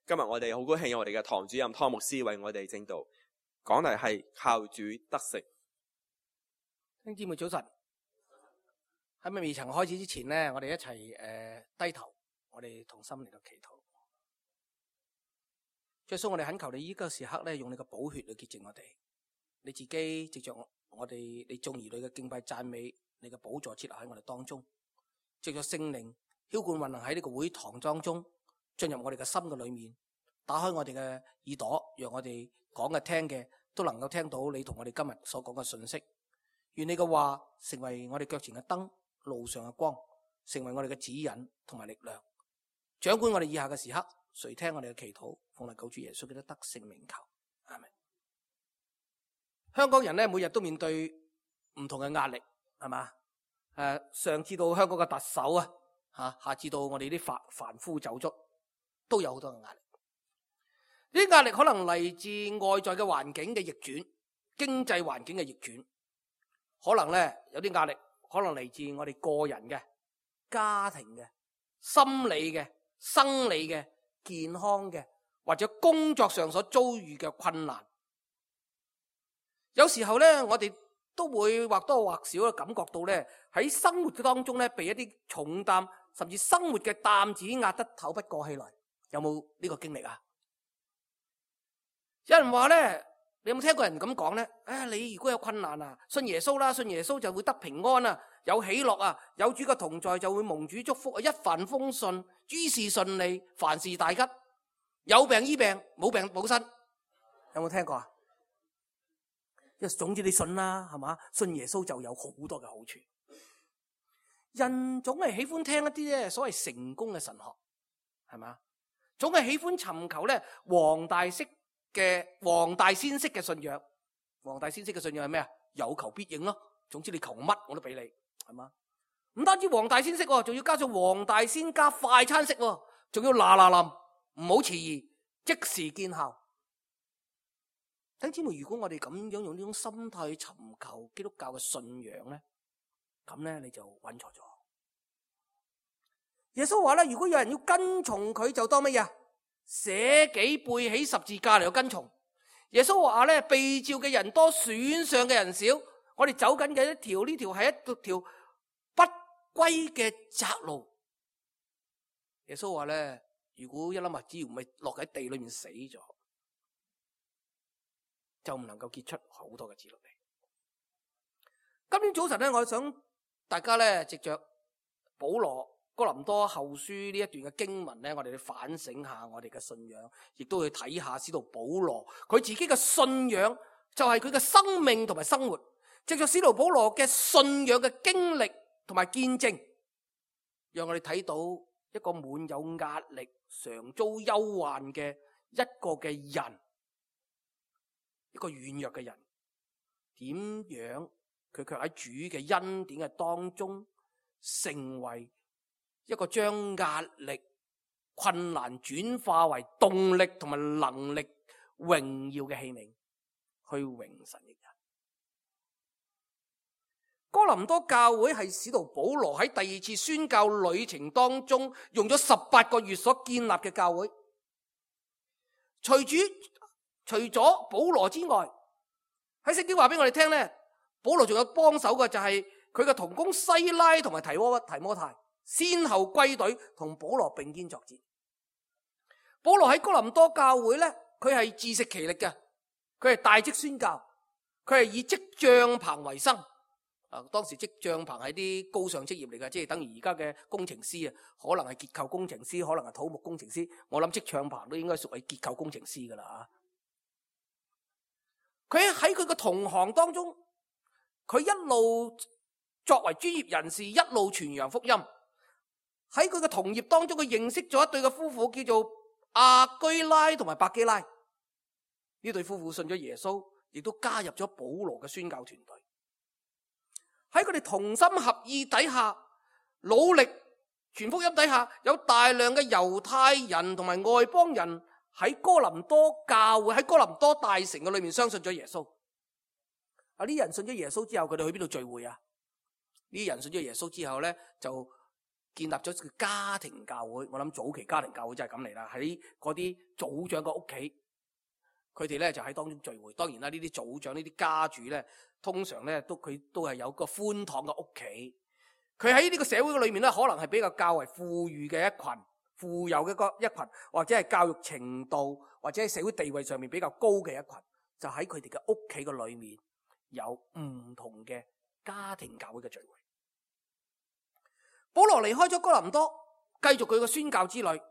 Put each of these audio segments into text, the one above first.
今日我哋好高興有我哋嘅堂主任湯牧師為我哋證道，講題係靠主得勝。弟兄姊妹早晨，喺未曾開始之前呢，我哋一齊低頭，我哋同心嚟到祈禱。耶穌，我哋懇求你呢個時刻咧，用你嘅寶血嚟潔淨我哋。你自己藉着我哋你眾兒女嘅敬拜讚美，你嘅寶座設立喺我哋當中，藉着聖靈澆灌運行喺呢個會堂當中，進入我哋嘅心嘅裏面，打開我哋嘅耳朵，讓我哋講嘅聽嘅都能夠聽到你同我哋今日所講嘅信息。願你嘅話成為我哋腳前嘅燈，路上嘅光，成為我哋嘅指引同埋力量，掌管我哋以下嘅時刻。誰聽我哋嘅祈禱，奉救主耶穌基督得勝名求，阿們。香港人咧，每日都面對唔同嘅壓力，係嘛？上至到香港嘅特首啊，下至到我哋啲凡夫走卒，都有好多嘅壓力。呢啲壓力可能嚟自外在嘅環境嘅逆轉，經濟環境嘅逆轉，可能咧有啲壓力，可能嚟自我哋個人嘅、家庭嘅、心理嘅、生理嘅、健康嘅，或者工作上所遭遇嘅困難。有時候咧，我哋都會或多或少嘅感覺到咧，喺生活嘅當中咧，被一啲重擔，甚至生活嘅擔子壓得透不過氣來。有冇呢個經歷啊？有人話咧，你有冇聽過人咁講咧？你如果有困難啊，信耶穌啦，信耶穌就會得平安啊，有喜樂啊，有主嘅同在就會蒙主祝福啊，一帆風順，諸事順利，凡事大吉，有病醫病，冇病冇身。有冇聽過啊？總之你信啦，係嘛？信耶穌就有好多嘅好處。人總係喜歡聽一啲咧所謂成功嘅神學，係嘛？總係喜歡尋求咧黃大仙式嘅信仰。黃大仙式嘅信仰係咩啊？有求必應咯。總之你求乜我都俾你，係嘛？唔單止黃大仙式，仲要加上黃大仙加快餐式，仲要嗱嗱臨，唔好遲疑，即時見效。弟兄姊妹，如果我哋咁樣用呢種心態去尋求基督教嘅信仰咧，咁咧你就揾錯咗。耶穌話咧，如果有人要跟從佢，就當乜嘢？捨己背起十字架嚟到跟從。耶穌話咧，被召嘅人多，選上嘅人少。我哋走緊嘅呢條係一條不歸嘅窄路。耶穌話咧，如果一粒麥子唔係落喺地裏面死咗，就唔能夠結出好多嘅子女。今天早晨咧，我想大家咧藉着保羅哥林多後書呢一段嘅經文咧，我哋去反省下我哋嘅信仰，亦都去睇下使徒保羅佢自己嘅信仰，就係佢嘅生命同埋生活。藉着使徒保羅嘅信仰嘅經歷同埋見證，讓我哋睇到一個滿有壓力、常遭憂患嘅一個嘅人。一個軟弱嘅人，點樣佢卻喺主嘅恩典嘅當中，成為一個將壓力、困難轉化為動力同埋能力、榮耀嘅器皿，去榮神益人。哥林多教會係使徒保羅喺第二次宣教旅程當中用咗18個月所建立嘅教會。除咗保羅之外，喺聖經話俾我哋聽咧，保羅仲有幫手嘅，就係佢嘅同工西拉同埋提摩太，先後歸隊同保羅並肩作戰。保羅喺哥林多教會咧，佢係自食其力嘅，佢係大職宣教，佢係以織帳篷為生。當時織帳篷係啲高尚職業嚟嘅，即係等於而家嘅工程師啊，可能係結構工程師，可能係土木工程師。我諗織帳篷都應該屬於結構工程師噶啦。佢喺佢嘅同行當中，佢一路作為專業人士，一路傳揚福音。喺佢嘅同業當中，佢認識咗一對嘅夫婦，叫做亞居拉同埋百基拉。呢對夫婦信咗耶穌，亦都加入咗保羅嘅宣教團隊。喺佢哋同心合意底下，努力傳福音底下，有大量嘅猶太人同埋外邦人喺哥林多教會、喺哥林多大城嘅裏面相信咗耶穌。呢啲人信咗耶穌之後，佢哋去邊度聚會啊？呢啲人信咗耶穌之後咧，就建立咗個家庭教會。我諗早期家庭教會就係咁嚟啦，喺嗰啲組長嘅屋企，佢哋咧就喺當中聚會。當然啦，呢啲組長呢啲家主咧，通常咧佢都係有個寬敞嘅屋企。佢喺呢個社會裏面咧，可能係比較為富裕嘅一群，富有嘅一群，或者係教育程度或者係社會地位上面比較高嘅一群，就喺佢哋嘅屋企嘅裏面有唔同嘅家庭教會嘅聚會。保羅離開咗哥林多，繼續佢嘅宣教之旅。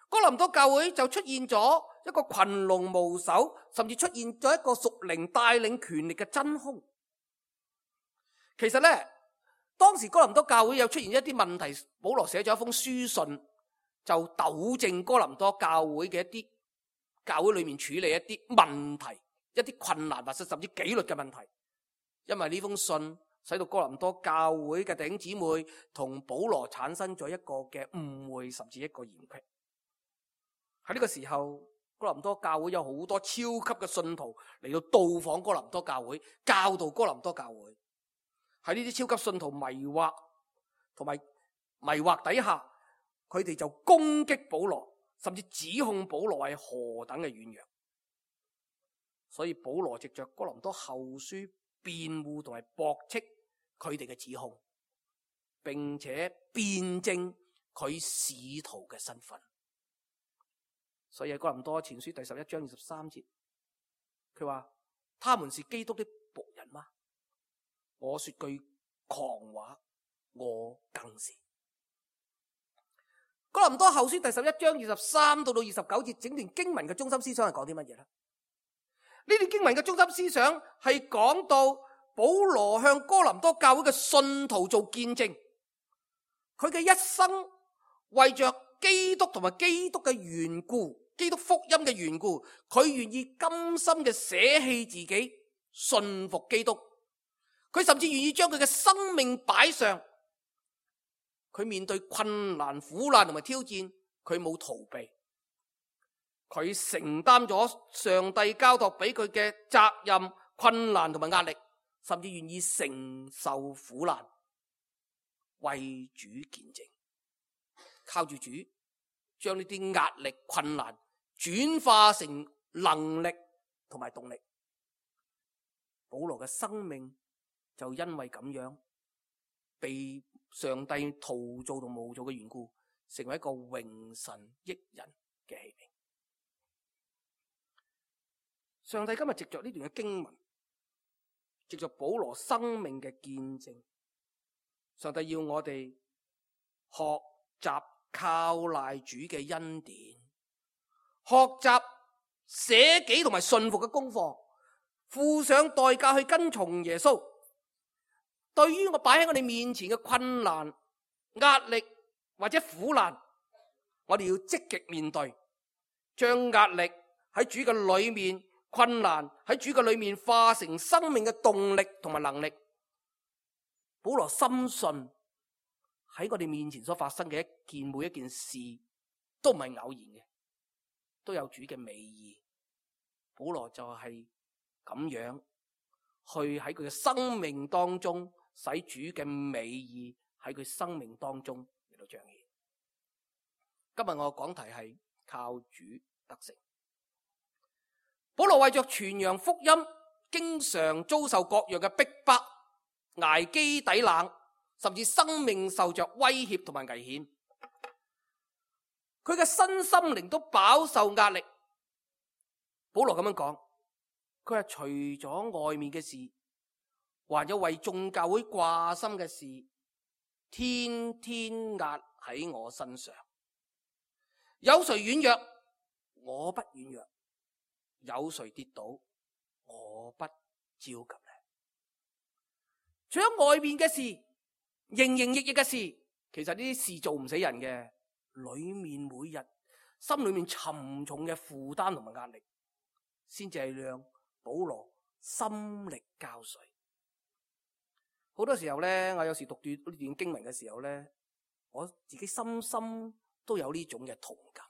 哥林多教會就出現咗一個群龍無首，甚至出現咗一個屬靈帶領權力嘅真空。其實咧，當時哥林多教會有出現一啲問題，保羅寫咗一封書信，就糾正哥林多教會嘅一啲教會裏面處理一啲問題、一啲困難或者甚至紀律嘅問題。因為呢封信使到哥林多教會嘅弟兄姊妹同保羅產生咗一個嘅誤會，甚至一個嫌隙。喺呢個時候，哥林多教會有好多超級嘅信徒嚟到到訪哥林多教會，教導哥林多教會。喺呢啲超級信徒迷惑底下，佢哋就攻擊保羅，甚至指控保羅係何等嘅軟弱。所以保羅藉着哥林多後書辯護同埋駁斥佢哋嘅指控，並且辯證佢使徒嘅身份。所以喺哥林多前書第11章23節，佢話：他們是基督的僕人嗎？我說句狂話，我更是。哥林多後書第11章23到29節，整段經文嘅中心思想係講啲乜嘢呢？呢段經文嘅中心思想係講到保羅向哥林多教會嘅信徒做見證，佢嘅一生為着基督同埋基督嘅緣故，基督福音嘅緣故，佢願意甘心嘅捨棄自己，信服基督。佢甚至願意將佢嘅生命擺上。佢面對困難、苦難同埋挑戰，佢冇逃避，佢承擔咗上帝交託俾佢嘅責任、困難同埋壓力，甚至願意承受苦難，為主見證，靠住主將呢啲壓力、困難轉化成能力同埋動力。保羅嘅生命就因為咁樣被上帝陶造同模造嘅緣故，成為一個榮神益人嘅器皿。上帝今日藉着呢段嘅經文，藉着保羅生命嘅見證，上帝要我哋學習靠賴主嘅恩典，學習捨己同埋信服嘅功課，付上代價去跟從耶穌。對於我擺喺我哋面前嘅困難、壓力或者苦難，我哋要積極面對，將壓力喺主嘅裏面、困難喺主嘅裏面化成生命嘅動力同埋能力。保羅深信喺我哋面前所發生嘅每一件事都唔係偶然嘅，都有主嘅美意。保羅就係咁樣去喺佢嘅生命當中，使主嘅美意喺佢生命當中嚟到彰顯。今日我嘅講題係靠主得勝。保羅為着傳揚福音，經常遭受各樣嘅逼迫、挨飢抵冷，甚至生命受着威脅同埋危險。佢嘅身心靈都飽受壓力。保羅咁樣講，佢係除咗外面嘅事，還有為眾教會掛心嘅事，天天壓喺我身上。有誰軟弱，我不軟弱；有誰跌倒，我不焦急呢？除咗外面嘅事，營營役役嘅事，其實呢啲事做唔死人嘅，裏面每日心裏面沉重嘅負擔同埋壓力，先至係讓保羅心力交瘁。好多時候咧，我有時讀呢段經文嘅時候咧，我自己深深都有呢種嘅同感。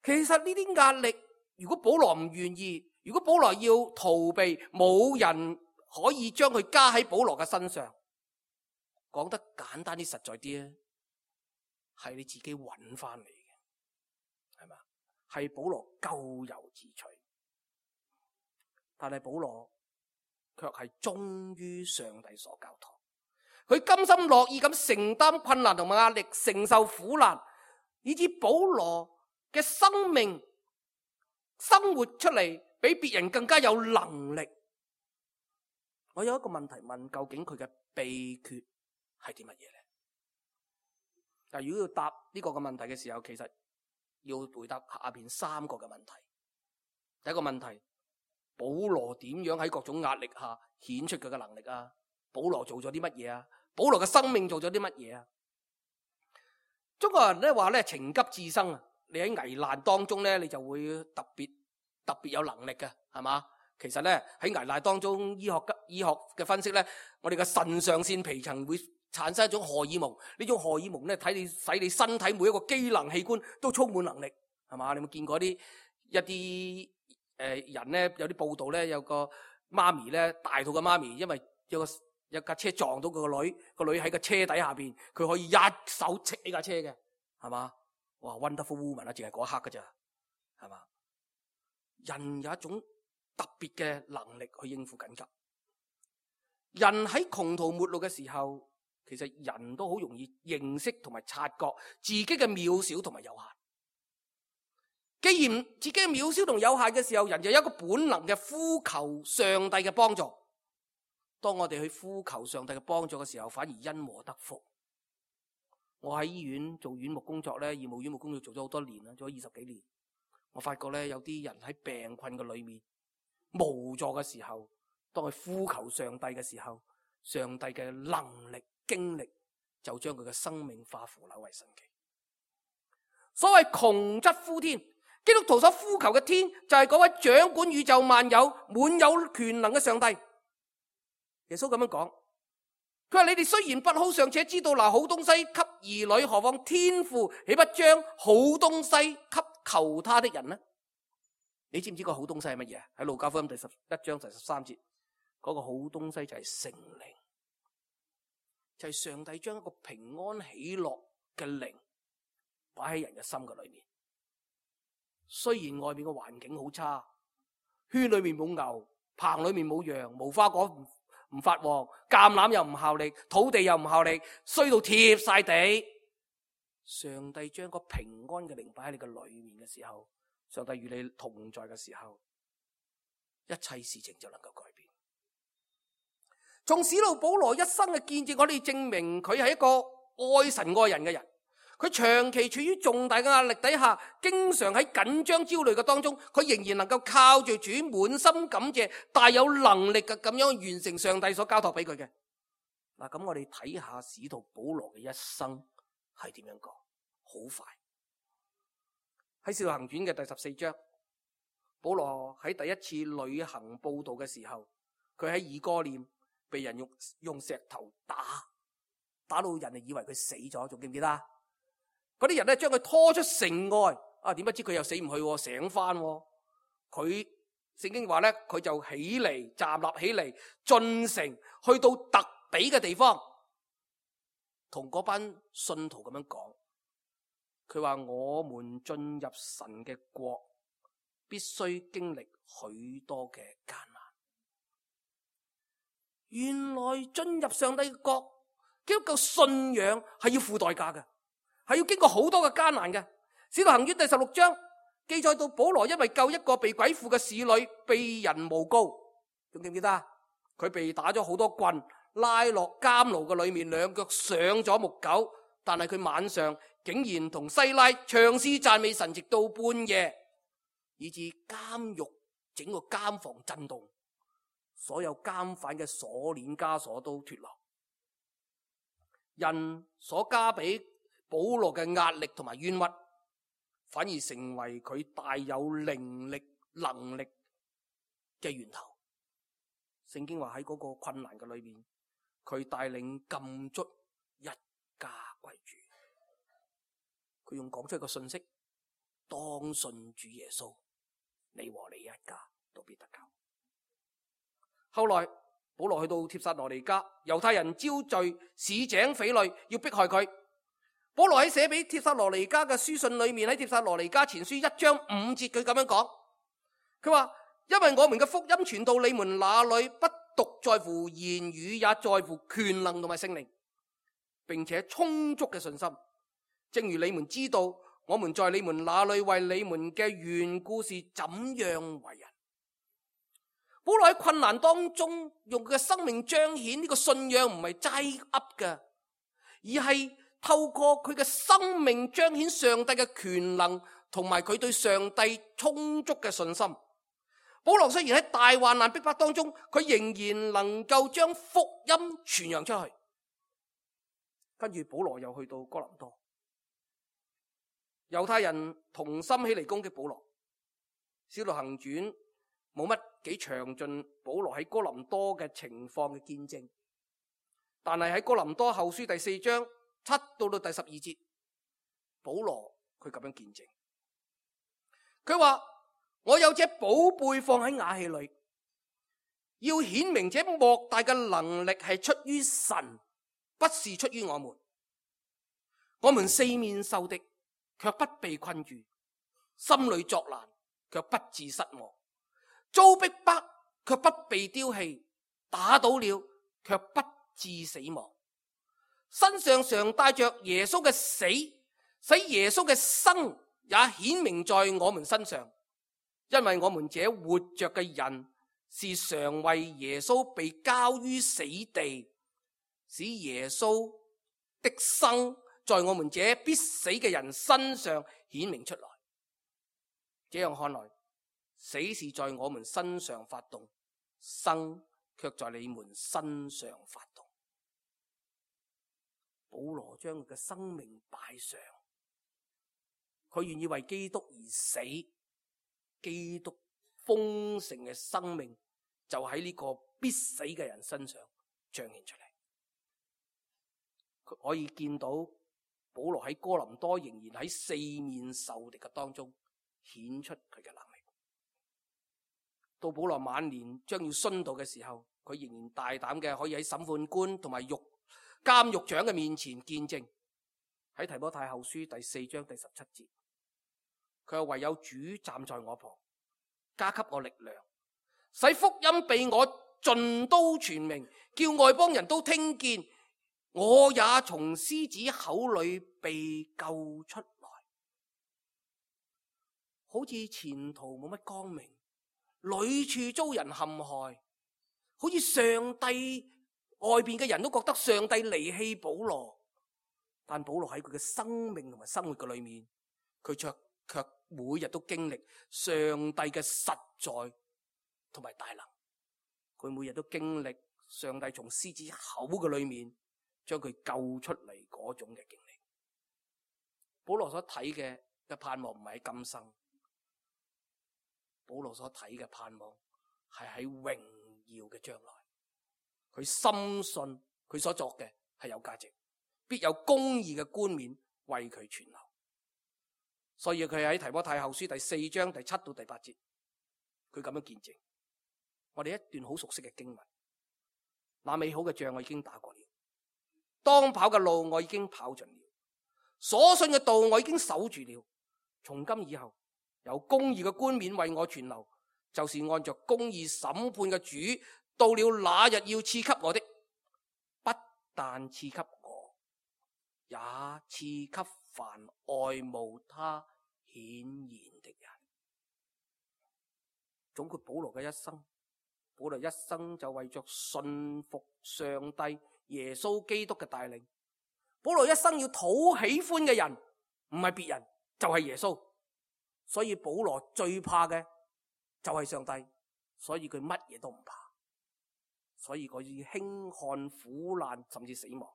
其實呢啲壓力，如果保羅唔願意，如果保羅要逃避，冇人可以將佢加喺保羅嘅身上。講得簡單啲、實在啲咧，係你自己揾翻嚟嘅，係嘛？係保羅咎由自取，但係保羅卻係忠於上帝所交託，佢甘心樂意咁承擔困難同埋壓力，承受苦難，以致保羅嘅生命生活出嚟比別人更加有能力。我有一個問題問，究竟佢嘅秘訣係啲乜嘢咧？但如果要答呢個嘅問題嘅時候，其實要回答下邊3個嘅問題。第一個問題，保羅點樣喺各種壓力下顯出佢嘅能力啊？保羅做咗啲乜嘢啊？保羅嘅生命做咗啲乜嘢啊？中國人咧話咧，情急智生啊！你喺危難當中咧，你就會特別有能力嘅，係嘛？其實咧喺危難當中，醫學嘅分析咧，我哋嘅腎上腺皮層會產生一種荷爾蒙，呢種荷爾蒙咧使你身體每一個機能器官都充滿能力，係嘛？你有冇見過一啲人咧？有啲報道咧，有個媽咪咧，大肚嘅媽咪，因為有架車撞到佢個女，個女喺個車底下邊，佢可以一手戚起架車嘅，係嘛？哇 ，Wonderful woman 啊，淨係嗰一刻噶咋，係嘛？人有一種特別嘅能力去應付緊急。人喺窮途末路嘅時候，其實人都好容易認識同埋察覺自己嘅渺小同埋有限。既然自己嘅渺小同有限嘅時候，人就有一個本能嘅呼求上帝嘅幫助。當我哋去呼求上帝嘅幫助嘅時候，反而因禍得福。我喺醫院做院牧工作咧，義務院牧工作做咗好多年啦，做咗20幾年。我發覺咧，有啲人喺病困嘅裏面無助嘅時候，當佢呼求上帝嘅時候，上帝嘅能力經歷就將佢嘅生命化腐朽為神奇。所謂窮則呼天，基督徒所呼求嘅天就係嗰位掌管宇宙萬有、滿有權能嘅上帝。耶穌咁樣講，佢話：你哋雖然不好，尚且知道拿好東西給兒女，何況天父豈不將好東西給求他的人呢？你知唔知個好東西係乜嘢？喺路加福音第11章第13節，嗰個好東西就係聖靈，就係上帝將一個平安喜樂嘅靈擺喺人嘅心嘅裏面。雖然外面嘅環境好差，圈裏面冇牛，棚裏面冇羊，無花果唔發旺，橄欖又唔效力，土地又唔效力，衰到貼晒地。上帝將個平安嘅靈擺喺你嘅裏面嘅時候，上帝與你同在嘅時候，一切事情就能夠改變。從使徒保羅一生嘅見證，我哋證明佢係一個愛神愛人嘅人。佢長期處於重大嘅壓力底下，經常喺緊張焦慮嘅當中，佢仍然能夠靠住主滿心感謝，大有能力嘅咁樣完成上帝所交託俾佢嘅。嗱，咁我哋睇下使徒保羅嘅一生係點樣講，好快。喺《使徒行傳》嘅第14章，保羅喺第一次旅行佈道嘅時候，佢喺以哥念被人用石頭打到人哋以為佢死咗，仲記唔記得？嗰啲人咧將佢拖出城外，點不知佢又死唔去，醒翻。佢聖經話咧，佢就起嚟，站立起嚟，進城去到特比嘅地方，同嗰班信徒咁樣講。佢話：我們進入神嘅國，必須經歷許多嘅艱難。原來進入上帝嘅國，基督教信仰係要付代價嘅。係要經過好多嘅艱難嘅。使徒行傳第16章記載到保羅因為救一個被鬼附嘅使女，被人誣告，仲記唔記得？佢被打咗好多棍，拉落監牢嘅裏面，兩腳上咗木狗，但係佢晚上竟然同西拉唱詩讚美神，直到半夜，以致監獄整個監房震動，所有監犯嘅鎖鏈枷鎖都脫落。人所加俾保羅嘅壓力同埋冤屈，反而成為佢大有靈力能力嘅源頭。聖經話喺嗰個困難嘅裏面，佢帶領禁卒一家歸主。佢用講出一個信息：當信主耶穌，你和你一家都必得救。後來保羅去到帖撒羅尼迦，猶太人招聚市井匪類要迫害佢。保羅喺寫俾帖撒羅尼迦嘅書信裏面，喺帖撒羅尼迦前書1章5節，佢咁樣講，佢話：因為我們嘅福音傳到你們那裏，不獨在乎言語，也在乎權能同埋聖靈，並且充足嘅信心。正如你們知道，我們在你們那裏為你們嘅緣故是怎樣為人。保羅喺困難當中用佢嘅生命彰顯呢個信仰，唔係齋噏嘅，而係透過佢嘅生命彰顯上帝嘅權能，同埋佢對上帝充足嘅信心。保羅雖然喺大患難逼迫當中，佢仍然能夠將福音傳揚出去。跟住保羅又去到哥林多，猶太人同心起嚟攻擊保羅。使徒行傳冇乜幾詳盡保羅喺哥林多嘅情況嘅見證，但係喺哥林多後書第4章7到第12節，保羅佢咁樣見證，佢話：我有這寶貝放喺瓦器裏，要顯明這莫大嘅能力係出於神，不是出於我們。我們四面受敵，卻不被困住；心裏作難，卻不致失望；遭逼迫，卻不被丟棄；打倒了，卻不致死亡。身上常帶着耶穌嘅死，使耶穌嘅生也顯明在我們身上。因為我們這活着嘅人是常為耶穌被交於死地，使耶穌的生在我們這必死嘅人身上顯明出來。這樣看來，死是在我們身上發動，生卻在你們身上發動。保羅將佢嘅生命擺上，佢願意為基督而死。基督豐盛嘅生命就喺呢個必死嘅人身上彰顯出嚟。佢可以見到保羅喺哥林多仍然喺四面受敵嘅當中顯出佢嘅能力。到保羅晚年將要殉道嘅時候，佢仍然大膽嘅可以喺審判官同埋監獄長嘅面前見證。喺提摩太後書第4章第17節，佢話：唯有主站在我旁，加給我力量，使福音被我盡都傳明，叫外邦人都聽見，我也從獅子口裏被救出來。好似前途冇乜光明，屢處遭人陷害，好似上帝外邊嘅人都覺得上帝離棄保羅，但保羅喺佢嘅生命同埋生活嘅裏面，佢卻每日都經歷上帝嘅實在同埋大能。佢每日都經歷上帝從獅子口嘅裏面將佢救出嚟嗰種嘅經歷。保羅所睇嘅盼望唔係喺今生，保羅所睇嘅盼望係喺榮耀嘅將來。佢深信佢所作嘅係有價值，必有公義嘅冠冕為佢存留。所以佢喺提摩太後書第4章第7到第8節，佢咁樣見證我哋一段好熟悉嘅經文。那美好嘅仗我已經打過了，當跑嘅路我已經跑盡了，所信嘅道我已經守住了。從今以後，有公義嘅冠冕為我存留，就是按着公義審判嘅主到了那日要賜給我的，不但賜給我，也賜給凡愛慕他顯現的人。總括保羅嘅一生，保羅一生就為着信服上帝耶穌基督嘅帶領。保羅一生要討喜歡嘅人，唔係別人，就係耶穌。所以保羅最怕嘅就係上帝，所以佢乜嘢都唔怕。所以佢要輕看苦難甚至死亡。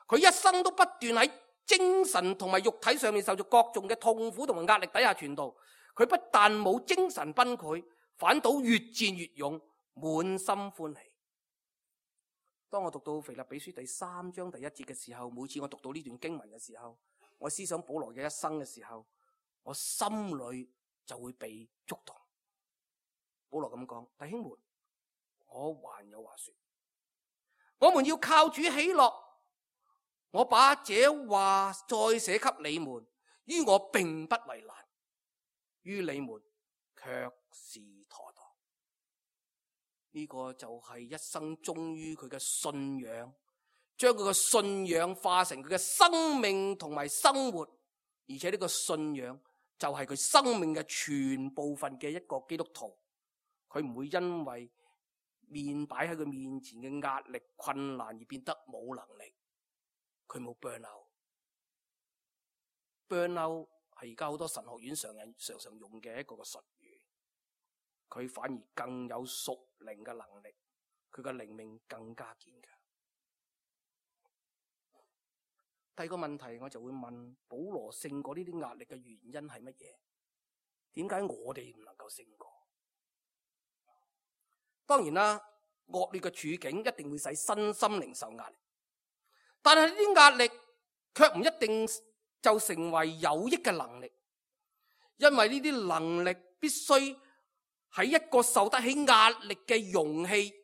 佢一生都不斷喺精神同埋肉體上面受到各種嘅痛苦同埋壓力底下傳道。佢不但冇精神崩潰，反倒越戰越勇，滿心歡喜。當我讀到腓立比書第3章第1節嘅時候，每次我讀到呢段經文嘅時候，我思想保羅嘅一生嘅時候，我心裏就會被觸動。保羅咁講：弟兄們，我還有話說，我們要靠主喜樂。我把這話再寫給你們，於我並不為難，於你們卻是妥當。呢個就係一生忠於佢嘅信仰，將佢嘅信仰化成佢嘅生命同埋生活，而且呢個信仰就係佢生命嘅全部分嘅一個基督徒。佢唔會因為擺喺佢面前嘅壓力困難而變得冇能力。佢冇 burn out。burn out 係而家好多神學院常用嘅一個術語。佢反而更有屬靈嘅能力，佢嘅靈命更加堅強。第二個問題我就會問，保羅勝過呢啲壓力嘅原因係乜嘢？點解我哋唔能夠勝過？當然啦，惡劣嘅處境一定會使身心靈受壓力，但係呢啲壓力卻唔一定就成為有益嘅能力，因為呢啲能力必須喺一個受得起壓力嘅容器，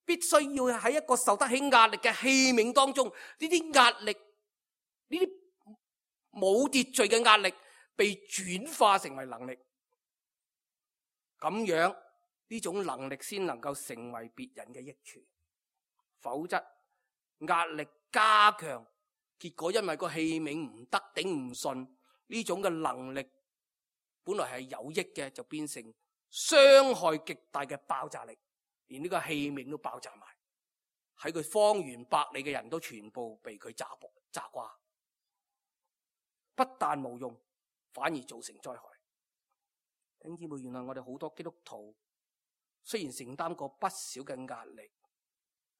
必須要喺一個受得起壓力嘅器皿當中，呢啲壓力，呢啲冇秩序嘅壓力被轉化成為能力，咁樣呢種能力先能夠成為別人嘅益處。否則壓力加強，結果因為個器皿唔得頂唔順，呢種嘅能力本來係有益嘅，就變成傷害極大嘅爆炸力，連呢個器皿都爆炸埋，喺佢方圓百里嘅人都全部被佢炸瓜，不但無用，反而造成災害。弟兄姊妹，原來我哋好多基督徒雖然承擔過不少嘅壓力，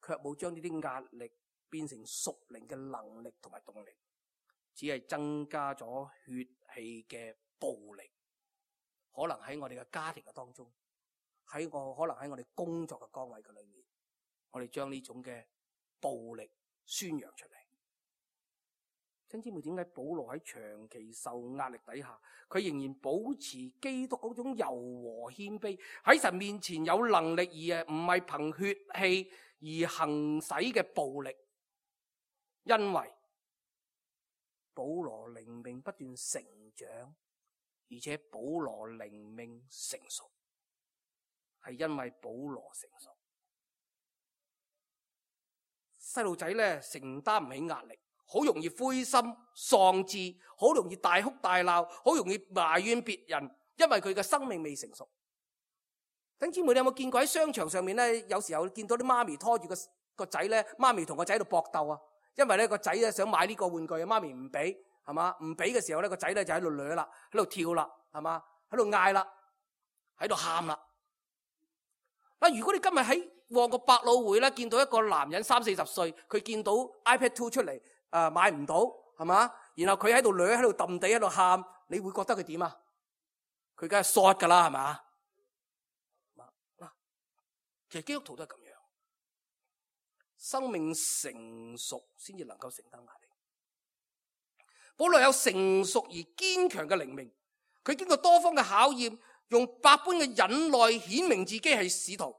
卻冇將呢啲壓力變成屬靈嘅能力同埋動力，只係增加咗血氣嘅暴力。可能喺我哋嘅家庭嘅當中，可能喺我哋工作嘅崗位嘅裏面，我哋將呢種嘅暴力宣揚出嚟。弟兄姊妹，點解保羅喺長期受壓力底下，佢仍然保持基督嗰種柔和謙卑，喺神面前有能力，而唔係憑血氣而行使嘅暴力？因為保羅靈命不斷成長，而且保羅靈命成熟，係因為保羅成熟。細路仔咧承擔唔起壓力，好容易灰心喪志，好容易大哭大鬧，好容易埋怨別人，因為佢嘅生命未成熟。弟兄姊妹，你有冇見過喺商場上面咧？有時候見到啲媽咪拖住個仔咧，媽咪同個仔喺度搏鬥啊！因為咧個仔咧想買呢個玩具，媽咪唔俾，係嘛？唔俾嘅時候咧，個仔咧就喺度掠啦，喺度跳啦，係嘛？喺度嗌啦，喺度喊啦。嗱，如果你今日喺旺角百老匯咧見到一個男人30-40歲，佢見到 iPad 2出嚟，買唔到，係嘛？然後佢喺度掠，喺度揼地，喺度喊，你會覺得佢點啊？佢梗係 short 噶啦，係嘛？嗱，其實基督徒都係咁樣，生命成熟先至能夠承擔壓力。保羅有成熟而堅強嘅靈命，佢經過多方嘅考驗，用百般嘅忍耐顯明自己係使徒。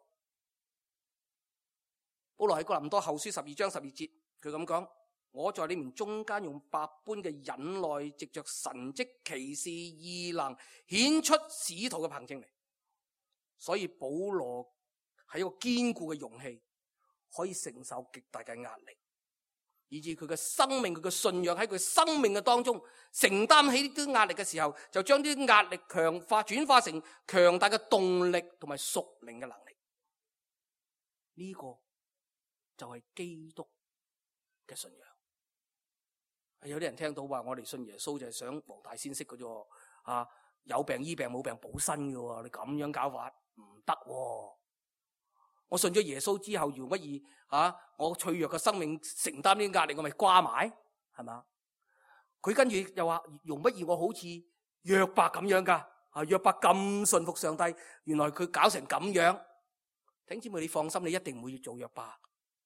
保羅喺哥林多後書12章12節，佢咁講：我在你們中間用百般嘅忍耐，藉着神蹟奇事異能，顯出使徒嘅憑證嚟。所以保羅係一個堅固嘅容器，可以承受極大嘅壓力，以致佢嘅生命、佢嘅信仰喺佢生命嘅當中承擔起呢啲壓力嘅時候，就將啲壓力轉化成強大嘅動力同埋屬靈嘅能力。呢個就係基督嘅信仰。有啲人聽到話我哋信耶穌就係想黃大仙式嘅啫，有病醫病，冇病補身嘅，你咁樣搞法唔得。我信咗耶穌之後，容不易我脆弱嘅生命承擔呢啲壓力，我咪瓜埋，係嘛？佢跟住又話，容不易我好似約伯咁樣噶，約伯咁信服上帝，原來佢搞成咁樣。弟兄姊妹，你放心，你一定唔會做約伯，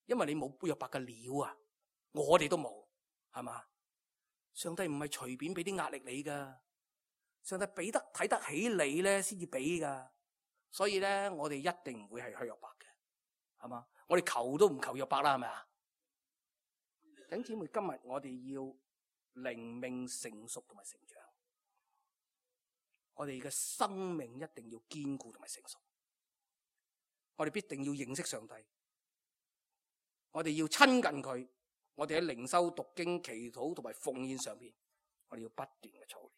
因為你冇約伯嘅料啊，我哋都冇，係嘛？上帝唔係隨便俾啲壓力你噶，上帝睇得起你咧，先至俾噶。所以咧，我哋一定唔會係去約伯嘅，係嘛？我哋求都唔求約伯啦，係咪啊？弟兄姊妹，今日我哋要靈命成熟同埋成長，我哋嘅生命一定要堅固同埋成熟，我哋必定要認識上帝，我哋要親近佢，我哋喺靈修、讀經、祈禱同埋奉獻上邊，我哋要不斷嘅操練。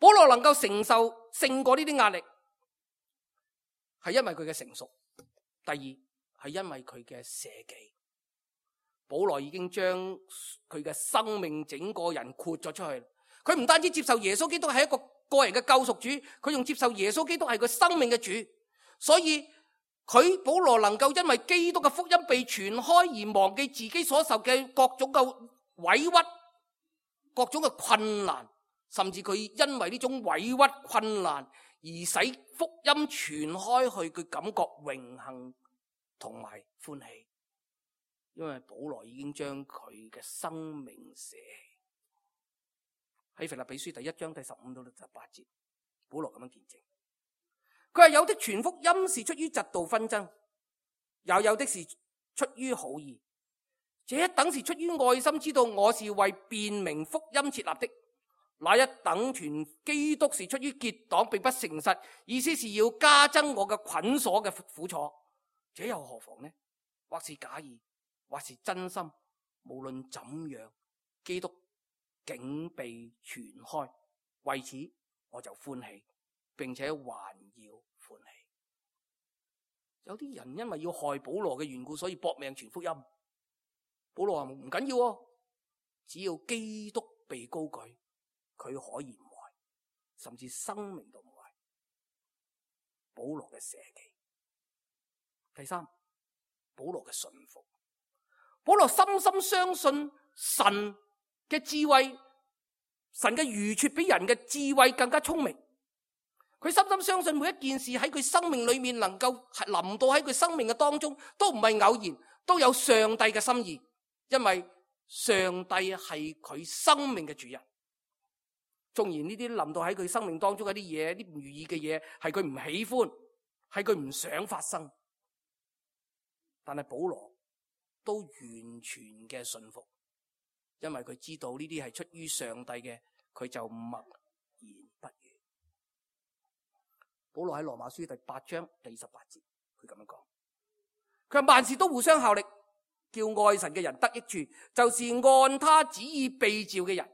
保羅能夠承受勝過呢啲壓力，係因為佢嘅成熟。第二係因為佢嘅捨己。保羅已經將佢嘅生命整個人豁咗出去。佢唔單止接受耶穌基督係一個個人嘅救贖主，佢仲接受耶穌基督係佢生命嘅主。所以佢保羅能夠因為基督嘅福音被傳開而忘記自己所受嘅各種嘅委屈、各種嘅困難，甚至佢因為呢種委屈困難而使福音傳開去，佢感覺榮幸同埋歡喜。因為保羅已經將佢嘅生命捨棄。喺腓立比書第1章第15到18節，保羅咁樣見證，佢話有的傳福音是出於嫉妒紛爭，又有的是出於好意，這一等是出於愛心，知道我是為辨明福音設立的；那一等傳基督是出於結黨，並不誠實，意思是要加增我嘅捆鎖嘅苦楚，這又何妨呢？或是假意，或是真心，無論怎樣，基督竟被傳開，為此我就歡喜，並且還要歡喜。有啲人因為要害保羅嘅緣故，所以搏命傳福音。保羅話唔緊要，只要基督被高舉，佢可以唔壞，甚至生命都唔壞。保羅嘅捨己。第三，保羅嘅順服。保羅深深相信神嘅智慧，神嘅愚拙比人嘅智慧更加聰明。佢深深相信每一件事喺佢生命裏面能夠臨到喺佢生命嘅當中，都唔係偶然，都有上帝嘅心意。因為上帝係佢生命嘅主人。縱然呢啲臨到喺佢生命當中嘅啲嘢，啲唔如意嘅嘢，係佢唔喜歡，係佢唔想發生，但係保羅都完全嘅信服，因為佢知道呢啲係出於上帝嘅，佢就默然不語。保羅喺羅馬書第8章第18節，佢咁樣講，佢話萬事都互相效力，叫愛神嘅人得益處，就是按他旨意被召嘅人。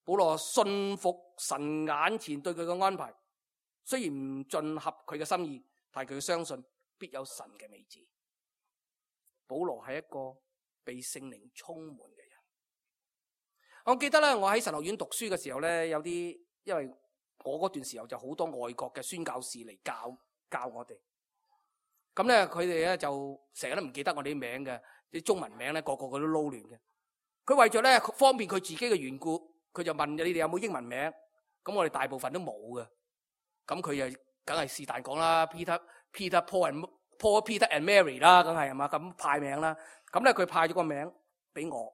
保羅信服神眼前對佢嘅安排，雖然唔盡合佢嘅心意，但係佢相信必有神嘅美旨。保羅係一個被聖靈充滿嘅人。我記得咧，我喺神學院讀書嘅時候咧，有啲因為我嗰段時候就好多外國嘅宣教士嚟教我哋。咁咧，佢哋咧就成日都唔記得我哋啲名嘅，啲中文名咧個個佢都撈亂嘅。佢為咗咧方便佢自己嘅緣故，佢就問你哋有冇英文名？咁我哋大部分都冇嘅。咁佢就梗係是但講啦 ，Peter Paul Peter and Mary 啦，梗係嘛，咁派名啦。咁咧佢派咗個名俾我。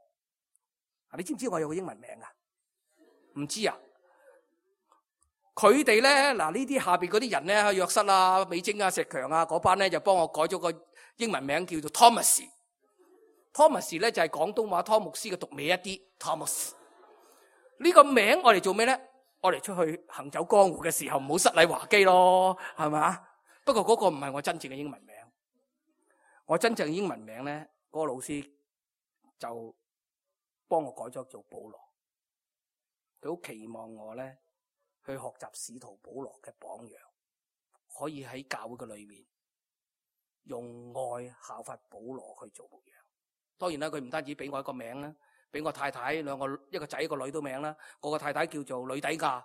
你知唔知我有個英文名啊？唔知啊？佢哋咧嗱，呢啲下邊嗰啲人咧，約瑟啊、美晶啊、石強啊嗰班咧，就幫我改咗個英文名叫做 Thomas。Thomas 咧就係廣東話湯牧師嘅讀尾一啲 Thomas。呢個名我哋做咩咧？我哋出去行走江湖嘅時候唔好失禮華基咯，係嘛？不過嗰個唔係我真正嘅英文名。我真正嘅英文名咧，嗰個老師就幫我改咗做保羅。佢好期望我咧去學習使徒保羅嘅榜樣，可以喺教會嘅裏面用愛效法保羅去做模樣。當然啦，佢唔單止俾我一個名啦，俾我太太兩個，一個仔一個女都名啦。我個太太叫做呂底亞。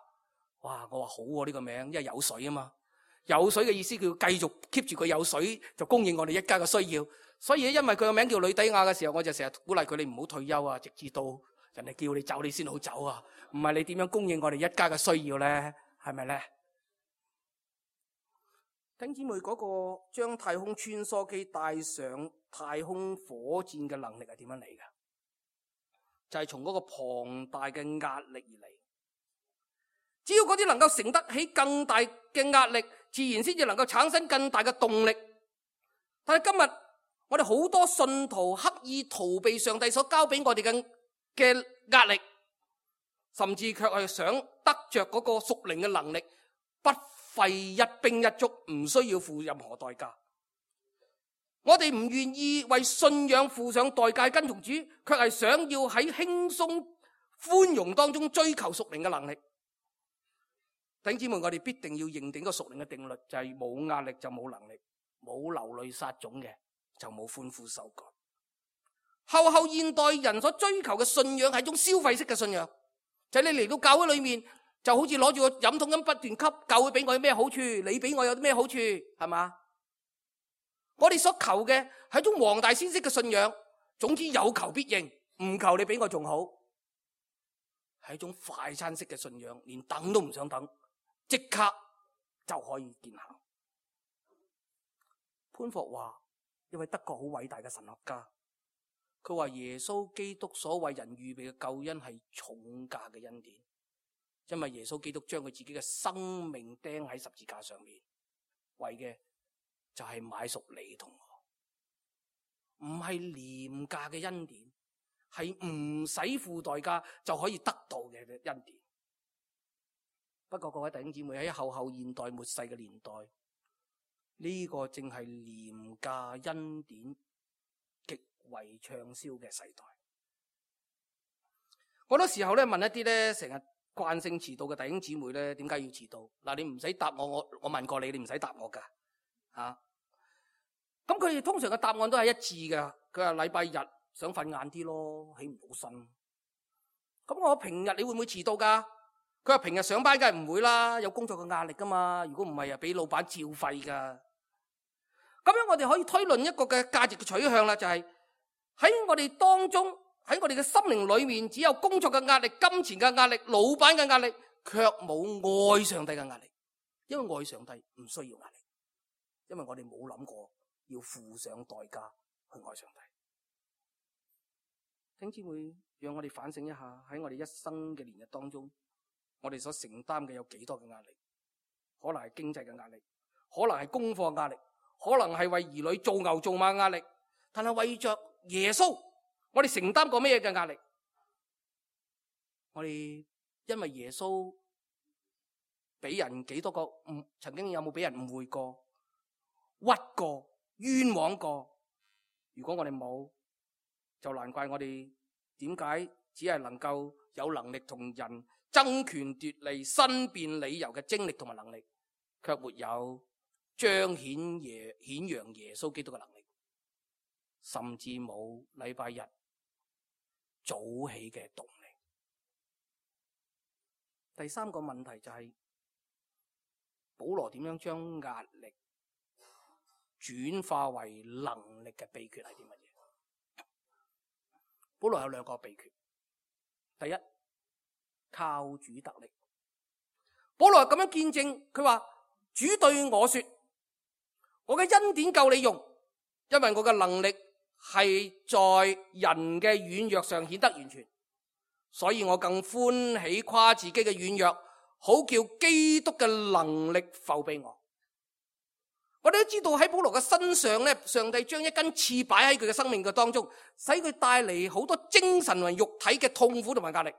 哇！我話好喎，呢個名，因為有水啊嘛。有水嘅意思，佢要繼續 keep 住佢有水，就供應我哋一家嘅需要。所以因為佢個名叫呂底亞嘅時候，我就成日鼓勵佢哋唔好退休啊，直至到人哋叫你走，你先好走啊。唔係你點樣供應我哋一家嘅需要咧？係咪咧？弟兄姊妹，嗰個將太空穿梭機帶上太空火箭嘅能力係點樣嚟嘅？就係從嗰個龐大嘅壓力而嚟。只要嗰啲能夠承得起更大嘅壓力，自然先至能夠產生更大嘅動力。但係今日我哋好多信徒刻意逃避上帝所交俾我哋嘅壓力，甚至卻係想得着嗰個屬靈嘅能力，不費一兵一卒，唔需要付任何代價。我哋唔願意為信仰付上代價跟從主，卻係想要喺輕鬆寬容當中追求屬靈嘅能力。弟兄姊妹，我哋必定要認定個屬靈嘅定律，就係冇壓力就冇能力，冇流淚撒種嘅就冇歡呼收割。後現代人所追求嘅信仰係一種消費式嘅信仰，就係你嚟到教會裏面就好似攞住個飲筒咁不斷吸，教會俾我有咩好處，你俾我有啲咩好處，係嘛？我哋所求嘅係一種黃大仙式嘅信仰，總之有求必應，唔求你俾我仲好，係一種快餐式嘅信仰，連等都唔想等，即刻就可以見效。潘霍華一位德國好偉大嘅神學家，佢話耶穌基督所為人預備嘅救恩係重價嘅恩典，因為耶穌基督將佢自己嘅生命釘喺十字架上面，為嘅就係買贖你同我，唔係廉價嘅恩典，係唔使付代價就可以得到嘅恩典。不過各位弟兄姊妹，喺後現代末世嘅年代，呢個正係廉價恩典極為暢銷嘅世代。好多時候咧，問一啲咧成日慣性遲到嘅弟兄姊妹咧，點解要遲到？嗱，你唔使答我問過你，你唔使答我噶吓。咁佢哋通常嘅答案都係一致嘅。佢話禮拜日想瞓晏啲咯，起唔到身。咁我平日你會唔會遲到噶？佢話平日上班梗係唔會啦，有工作嘅壓力噶嘛。如果唔係啊，俾老闆照肺噶。咁樣我哋可以推論一個嘅價值嘅取向啦，就係喺我哋當中，喺我哋嘅心靈裏面，只有工作嘅壓力、金錢嘅壓力、老闆嘅壓力，卻冇愛上帝嘅壓力。因為愛上帝唔需要壓力，因為我哋冇諗過要付上代價去愛上帝。弟兄姊妹，讓我哋反省一下，喺我哋一生嘅年日當中，我哋所承擔嘅有幾多嘅壓力？可能係經濟嘅壓力，可能係功課嘅壓力，可能係為兒女做牛做馬嘅壓力。但係為着耶穌，我哋承擔過咩嘅壓力？我哋因為耶穌俾人幾多個曾經有冇俾人誤會過、屈過、冤枉過？如果我哋冇，就難怪我哋點解只係能夠有能力同人爭權奪利、申辯理由嘅精力同埋能力，卻沒有彰顯揚耶穌基督嘅能力，甚至冇禮拜日早起嘅動力。第三個問題就係保羅點樣將壓力轉化為能力嘅秘訣係啲乜嘢？保羅有兩個秘訣。第一，靠主得力。保羅咁樣見證，佢話主對我說，我嘅恩典夠你用，因為我嘅能力係在人嘅軟弱上顯得完全，所以我更歡喜誇自己嘅軟弱，好叫基督嘅能力覆庇我。我哋都知道喺保羅嘅身上咧，上帝將一根刺擺喺佢嘅生命嘅當中，使佢帶嚟好多精神同肉體嘅痛苦同埋壓力。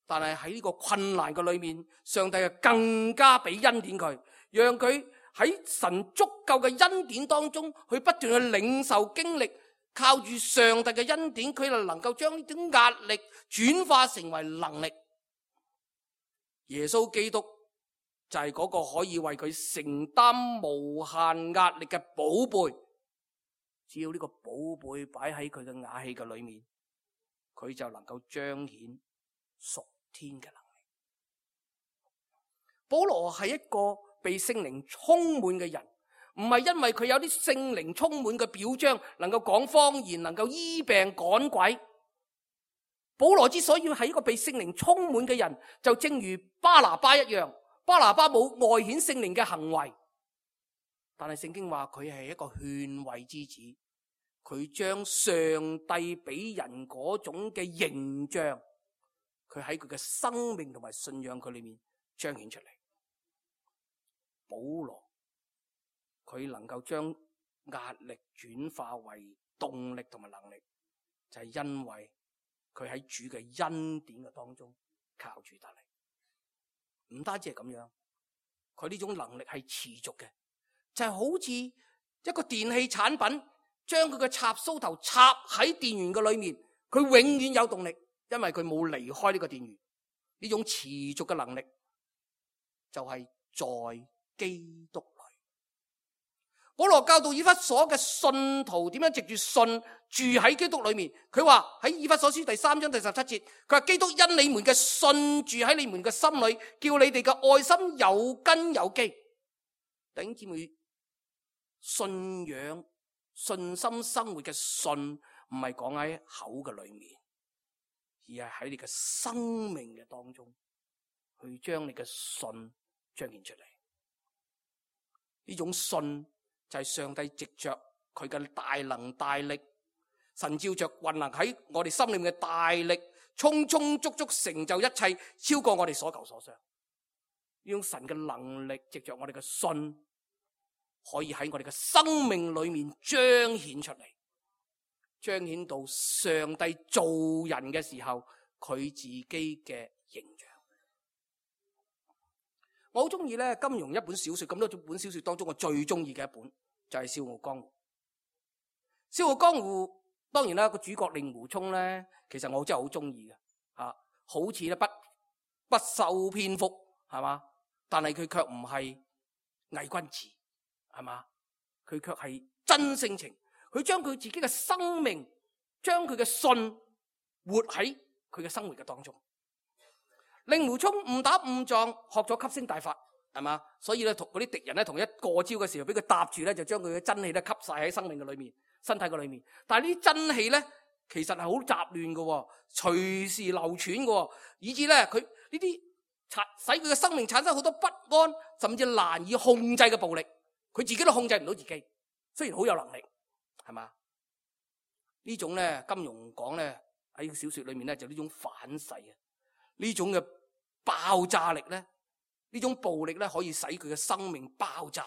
但係喺呢個困難嘅裏面，上帝係更加俾恩典佢，讓佢喺神足夠嘅恩典當中，去不斷去領受經歷，靠住上帝嘅恩典，佢就能夠將呢種壓力轉化成為能力。耶穌基督就係嗰個可以為佢承擔無限壓力嘅寶貝，只要呢個寶貝擺喺佢嘅瓦器嘅裏面，佢就能夠彰顯屬天嘅能力。保羅係一個被聖靈充滿嘅人，唔係因為佢有啲聖靈充滿嘅表彰，能夠講方言，能夠醫病趕鬼。保羅之所以係一個被聖靈充滿嘅人，就正如巴拿巴一樣。巴拿巴冇外顯聖靈嘅行為，但係聖經話佢係一個勸慰之子，佢將上帝俾人嗰種嘅形象，佢喺佢嘅生命同埋信仰佢裏面彰顯出嚟。保羅佢能夠將壓力轉化為動力同埋能力，就係因為佢喺主嘅恩典嘅當中靠住得嚟。唔單止係咁樣，佢呢種能力係持續嘅，就係好似一個電器產品，將佢嘅插蘇頭插喺電源嘅裏面，佢永遠有動力，因為佢冇離開呢個電源。呢種持續嘅能力就係在基督裏。保羅教導以弗所嘅信徒點樣藉住信住喺基督裏面。佢話喺以弗所書第3章第17節，佢話基督因你們嘅信住喺你們嘅心裏，叫你哋嘅愛心有根有基。弟兄姊妹，信仰信心生活嘅信唔係講喺口嘅裏面，而係喺你嘅生命嘅當中去將你嘅信彰顯出嚟。呢種信就係上帝藉着佢嘅大能大力，神照着運行喺我哋心裏面嘅大力，充充足足成就一切，超過我哋所求所想。呢種神嘅能力藉着我哋嘅信，可以喺我哋嘅生命裏面彰顯出嚟，彰顯到上帝造人嘅時候佢自己嘅形象。我好中意咧金庸一本小說，咁多本小說當中我最中意嘅一本就係《笑傲江湖》。《笑傲江湖》當然啦，個主角令狐沖咧，其實我真係好中意嘅，好似咧不修邊幅，係嘛？但係佢卻唔係偽君子，係嘛？佢卻係真性情，佢將佢自己嘅生命，將佢嘅信活喺佢嘅生活嘅當中。令狐沖誤打誤撞學咗吸星大法，係嘛？所以咧同嗰啲敵人咧同一過招嘅時候，俾佢搭住咧，就將佢嘅真氣咧吸晒喺生命嘅裏面、身體嘅裏面。但係呢啲真氣咧，其實係好雜亂嘅，隨時流竄嘅，以致咧佢呢啲使佢嘅生命產生好多不安，甚至難以控制嘅暴力。佢自己都控制唔到自己，雖然好有能力，係嘛？呢種咧金庸講咧喺小說裏面咧就呢種反噬啊，呢種嘅爆炸力咧，呢種暴力咧可以使佢嘅生命爆炸，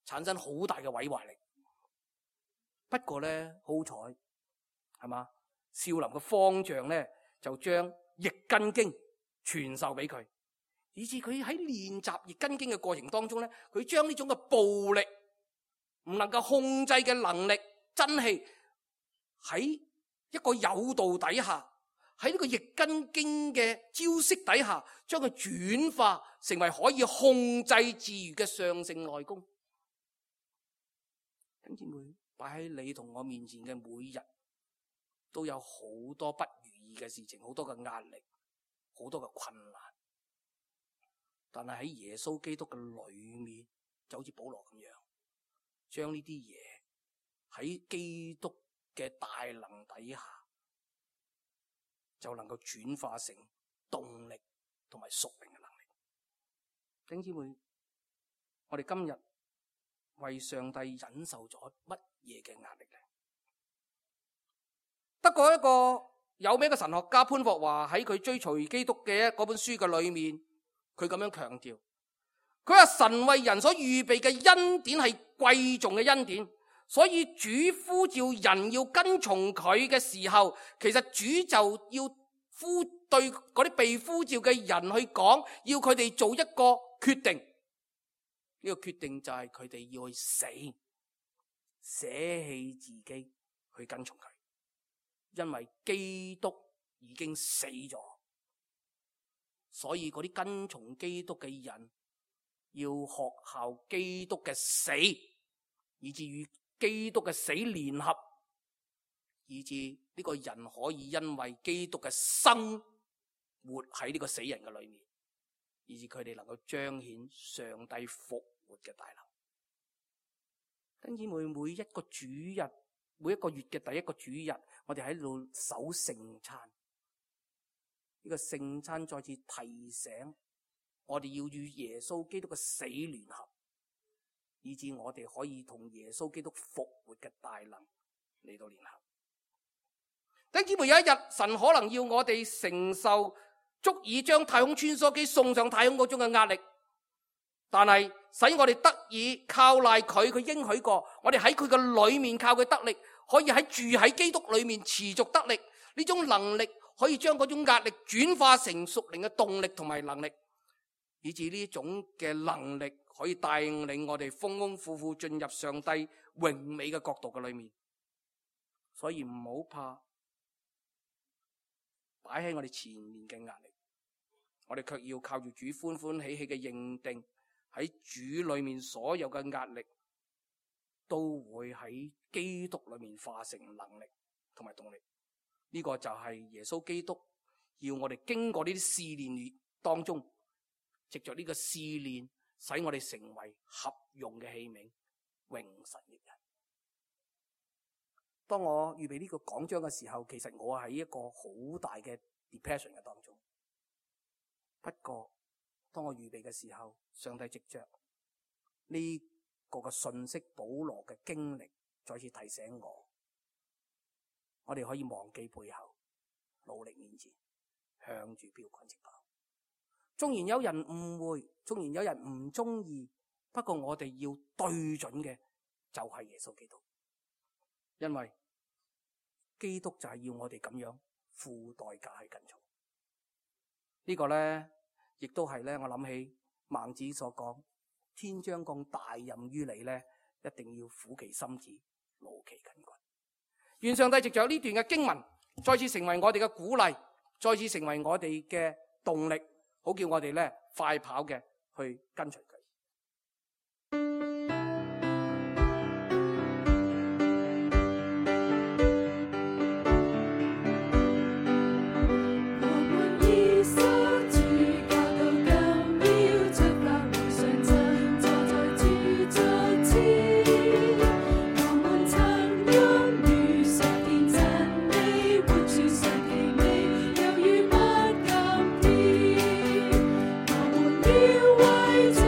產生好大嘅毀壞力。不過咧好彩，係嘛？少林嘅方丈咧就將易筋經傳授俾佢，以致佢喺練習易筋經嘅過程當中咧，佢將呢種嘅暴力唔能夠控制嘅能力真氣喺一個誘導底下，喺呢個易筋經嘅招式底下，將佢轉化成為可以控制自如嘅上乘內功。弟兄姊妹，擺喺你同我面前嘅每日都有好多不如意嘅事情，好多嘅壓力，好多嘅困難。但係喺耶穌基督嘅裏面，就好似保羅咁樣，將呢啲嘢喺基督嘅大能底下，就能夠轉化成動力同埋屬靈嘅能力。弟兄姊妹，我哋今日為上帝忍受咗乜嘢嘅壓力呢？德國一個有名嘅神學家潘霍華喺佢追隨基督嘅嗰本書嘅裏面，佢咁樣強調，佢話神為人所預備嘅恩典係貴重嘅恩典，所以主呼召人要跟從佢嘅時候，其實主就要對嗰啲被呼召嘅人去講，要佢哋做一個決定。呢個決定就係佢哋要去死，捨棄自己去跟從佢，因為基督已經死咗。所以嗰啲跟從基督嘅人要學效基督嘅死，以至於基督嘅死聯合，以致呢個人可以因為基督嘅生活喺呢個死人嘅裏面，以致佢哋能夠彰顯上帝復活嘅大能。弟兄姊妹，每一個主日，每一個月嘅第一個主日，我哋喺度守聖餐。呢個聖餐再次提醒我哋要與耶穌基督嘅死聯合，以致我哋可以同耶穌基督復活嘅大能嚟到聯合。弟兄姊妹，有一日神可能要我哋承受足以將太空穿梭機送上太空嗰種嘅壓力，但係使我哋得以靠賴佢，佢應許過，我哋喺佢嘅裏面靠佢得力，可以住喺基督裏面持續得力。呢種能力可以將嗰種壓力轉化成屬靈嘅動力同埋能力，以至呢種嘅能力可以帶領我哋豐豐富富進入上帝榮美嘅國度嘅裏面。所以唔好怕擺喺我哋前面嘅壓力，我哋卻要靠住主歡歡喜喜嘅認定，喺主裏面所有嘅壓力都會喺基督裏面化成能力同埋動力。呢個就係耶穌基督要我哋經過呢啲試煉當中，藉着呢個試煉，使我哋成為合用嘅器皿，榮神益人。當我預備呢個講章嘅時候，其實我喺一個好大嘅 depression 嘅當中。不過當我預備嘅時候，上帝藉着呢個嘅信息，保羅嘅經歷，再次提醒我哋可以忘記背後，努力面前，向住標杆直跑。縱然有人誤會，縱然有人唔中意，不過我哋要對準嘅就係耶穌基督，因為基督就係要我哋咁樣付代價去跟從。呢個呢，亦都係呢，我諗起孟子所講，天將降大任於你呢，一定要苦其心志，勞其筋骨。願上帝藉着呢段嘅經文，再次成為我哋嘅鼓勵，再次成為我哋嘅動力，好叫我哋呢快跑嘅去跟隨佢。要為主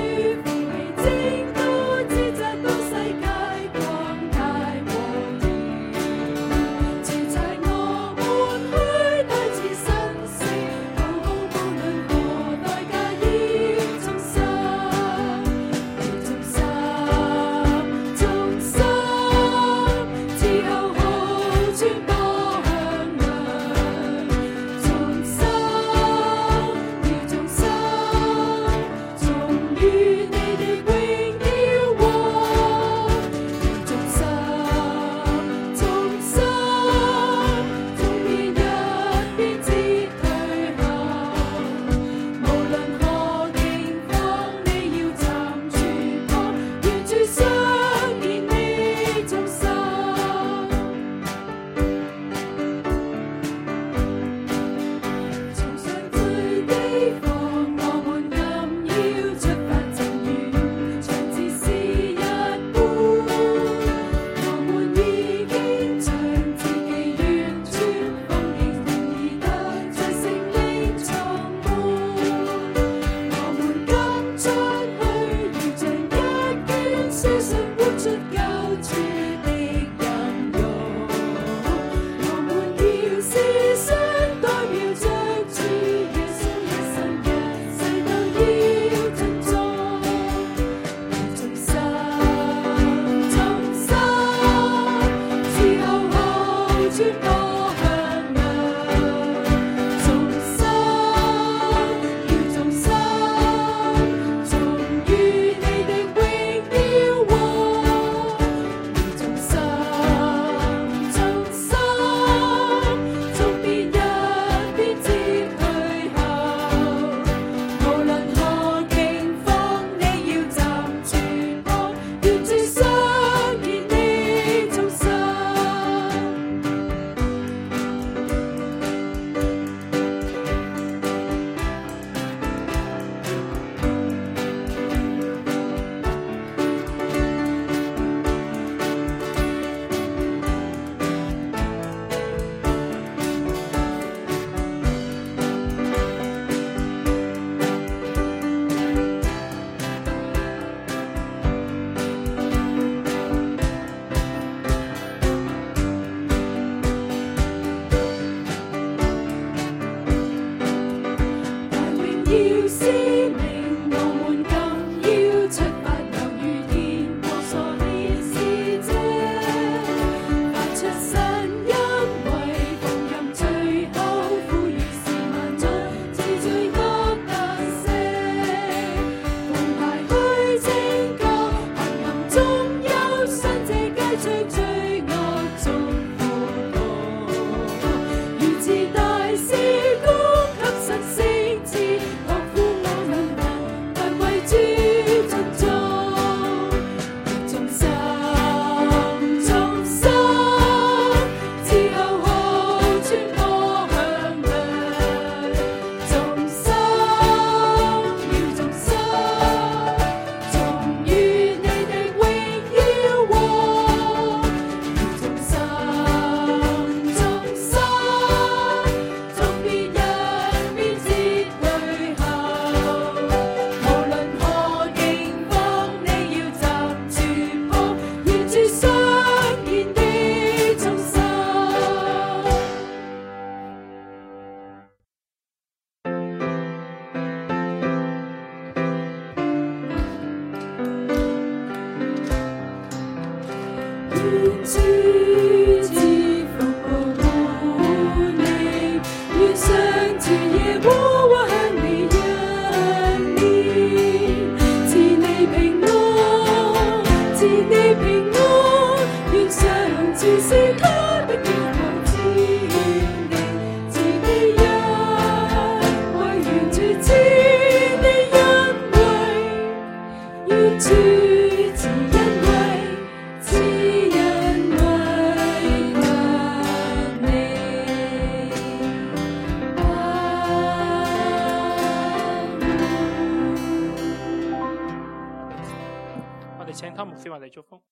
哋請湯牧師為我哋祝福。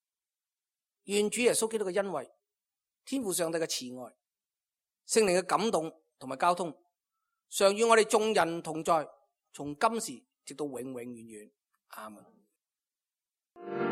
願主耶穌基督嘅恩惠、天父上帝嘅慈愛、聖靈嘅感動同埋交通，常與我哋眾人同在，從今時直到永永遠遠。阿門。